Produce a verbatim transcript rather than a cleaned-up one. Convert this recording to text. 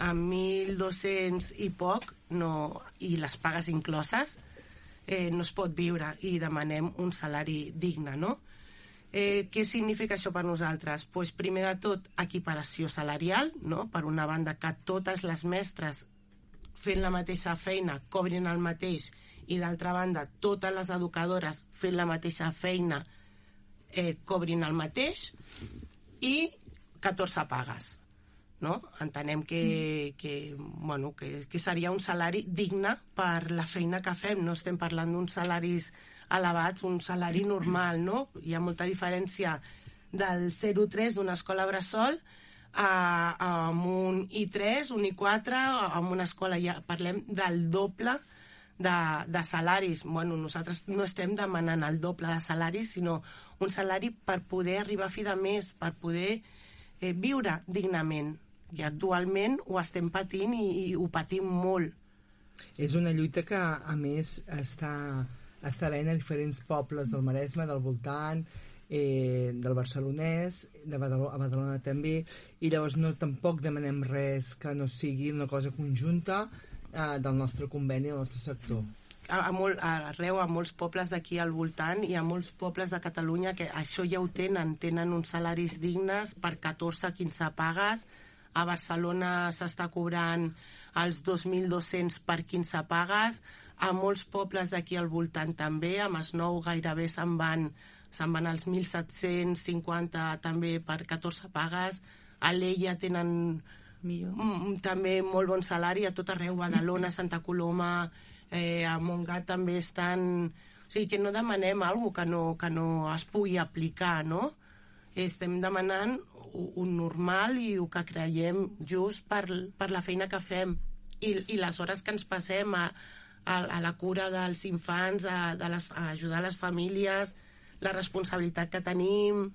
amb mil dos-cents i poc, no, i les pagues incloses, eh, no es pot viure, i demanem un salari digne, no? Eh, què significa això per nosaltres? Pues, primer de tot, equiparació salarial, no? Per una banda, que totes les mestres fent la mateixa feina cobrin el mateix, i d'altra banda, totes les educadores fent la mateixa feina eh, cobrin el mateix, i catorze pagues. No? Entenem que, que, bueno, que, que seria un salari digne per la feina que fem. No estem parlant d'uns salaris elevats, un salari normal, no? Hi ha molta diferència del zero tres d'una escola bressol a, a un I tres, un I quatre, en una escola ja parlem del doble de, de salaris. Bueno, nosaltres no estem demanant el doble de salaris, sinó un salari per poder arribar a fi de mes, per poder eh, viure dignament. I actualment ho estem patint i, i ho patim molt. És una lluita que, a més, està, està havent a diferents pobles del Maresme, del voltant, eh, del Barcelonès, de Badalona, a Badalona també, i llavors no, tampoc demanem res que no sigui una cosa conjunta eh, del nostre conveni, del nostre sector. A, a molt, arreu, a molts pobles d'aquí al voltant, i a molts pobles de Catalunya que això ja ho tenen, tenen uns salaris dignes per catorze a quinze pagues. A Barcelona s'està cobrant els dos mil dos-cents per quinze pagues, a molts pobles d'aquí al voltant també, a Masnou gairebé se'n van, se'n van als mil set-cents cinquanta també per catorze pagues, a l'Ella tenen mm, també molt bon salari, a tot arreu, Badalona, Santa Coloma, eh, a Montgat també estan... O sigui, que no demanem alguna cosa que no, que no es pugui aplicar, no? Estem demanant un normal i el que creiem just per, per la feina que fem i, i les hores que ens passem a, a, a la cura dels infants, a, de les, a ajudar les famílies, la responsabilitat que tenim.